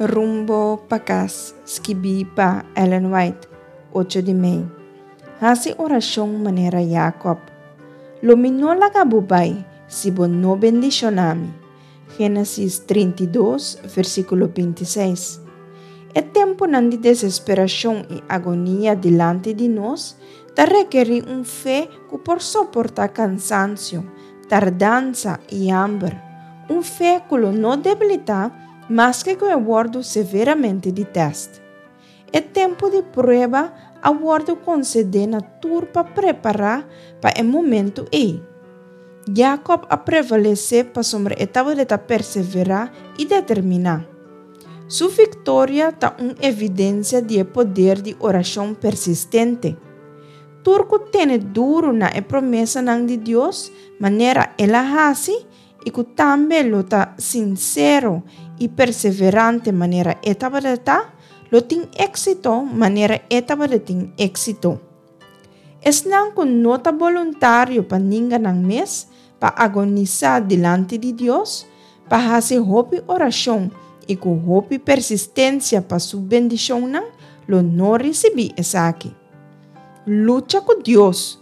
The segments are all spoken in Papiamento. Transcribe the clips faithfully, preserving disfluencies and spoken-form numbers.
Rumbo pa Kas, skibí pa Ellen White, ocho di mei. Hasi orashon manera Jacob. Lo mi no laga bo bai, si bo no bendishoná mi. Génesis trinta i dos, versíkulo binti seis. E tempunan di desesperashon i agonia dilanti di nos ta rekerí un fe ku por soportá kansansio, tardansa i hamber, un fe ku lo no debilitá maske ku e wòrdu severamente di tèst. E tempu di prueba a wòrdu konsedé na tur pa prepará pa e momentu ei. Jacob a prevalesé pasobra e tabata perseverá i determiná. Su viktoria ta un evidensia di e poder di orashon persistente. Tur ku tene duru na e promesanan di Dios manera el a hasi i ku tambe lo ta sinsero i perseverante manera e tabata, lo tin éksito manera e tabatin éksito. Esnan ku no ta boluntario pa ninga nan mes, pa agonisá dilanti di Dios, pa hasi hopi orashon i ku hopi persistensia pa su bendishonnan, lo no risibí esaki. Lucha ku Dios.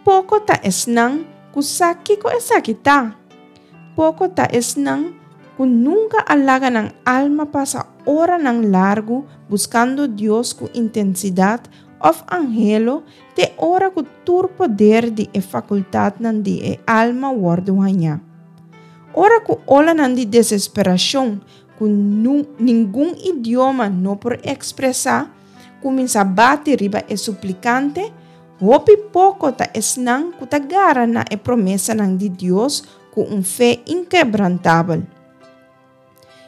Poko ta esnan ku sa kiko esaki ta. Poko ta esnan ku nunka a laga nan alma pasa oranan largu buskando Dios ku intensidat òf anhelo te ora ku tur poder di e fakultatnan di e alma wòrdu hañá. Ora ku olanan di desesperashon ku ningun idioma no por ekspresá kuminsá bati riba e suplikante, hopi poko ta esnan ku ta gara na e promesanan di Dios ku un fe inkebrantabel.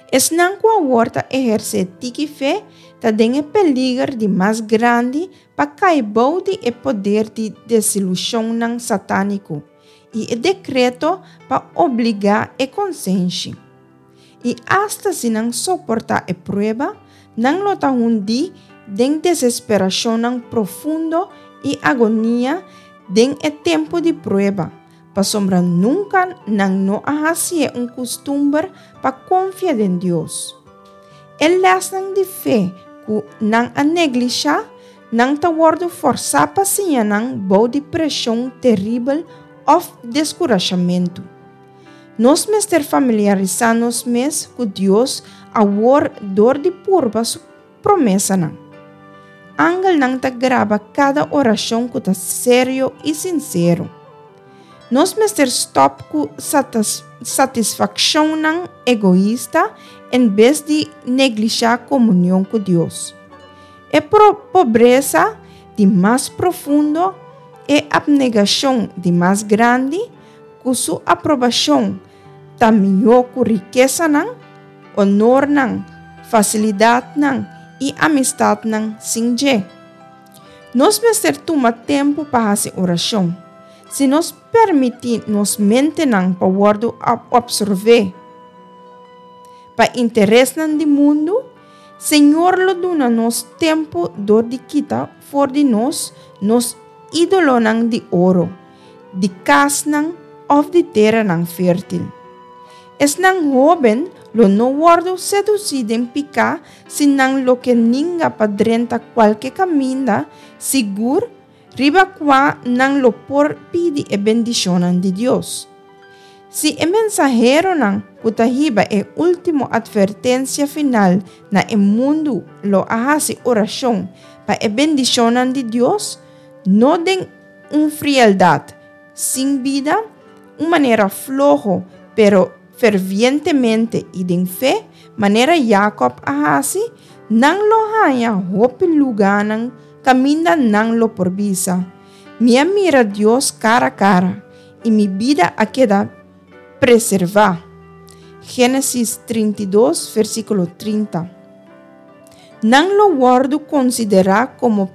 Esnan ku awor ta ehersé tiki fe ta den e peliger di mas grandi pa kai bou di e poder di desilushonnan satániko i e dekreto pa obligá e konsenshi. I asta si nan soportá e prueba, nan lo ta hundí den desesperashonnan profundo i agonia den e tempu di prueba, pasobra nunka nan no a hasié un kustumber pa konfia den Dios. E lèsnan di fe ku nan a neglishá, nan ta wòrdu fòrsá pa siña nan bou di preshon teribel òf deskurashamentu. Nos mester familiarisá nos mes ku Dios awor dor di purba su promesanan. Angelnan ta graba kada orashon ku ta serio i sinsero. Nos mester stòp ku satisfakshonnan egoista en bes di neglishá komunion ku Dios. E pobresa di mas profundo, e apnegashon di mas grandi, ku su aprobashon ta mihó ku rikesanan, onornan, fasilidatnan i amistatnan sin dje. Nos mester tuma tempu pa hasi orashon. Si nos permití nos mentenan pa wòrdu opservé pa interesnan di mundu, Señor lo duna nos tempu dor di kita for di nos nos ídolonan di oro, di kasnan òf di teranan fértil. Esnan hóben lo no wòrdu sedusí den piká si nan lo ke ninga pa drenta kualke kaminda sigur riba kua nan lo por pidi e bendishonnan di Dios. Si e mensaheronan ku ta hiba e último atvertensia final na e mundu lo a hasi orashon pa e bendishonnan di Dios, no den un frieldat sin bida, un manera floho pero fervientemente i den fe, manera Jacob a hasi, nan lo haña hopi lugánan kaminda nan lo por bisa, Mi a mira Dios kara kara, i mi bida a keda preservá. Génesis trinta i dos, versíkulo trinta. Nan lo wòrdu konsiderá komo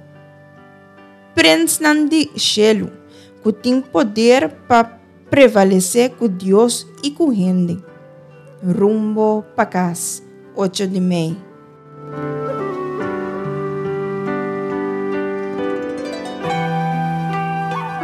prensnan di shelu, ku tin poder pa prevalesé ku Dios i ku hende. Rumbo pa kas, ocho di mei.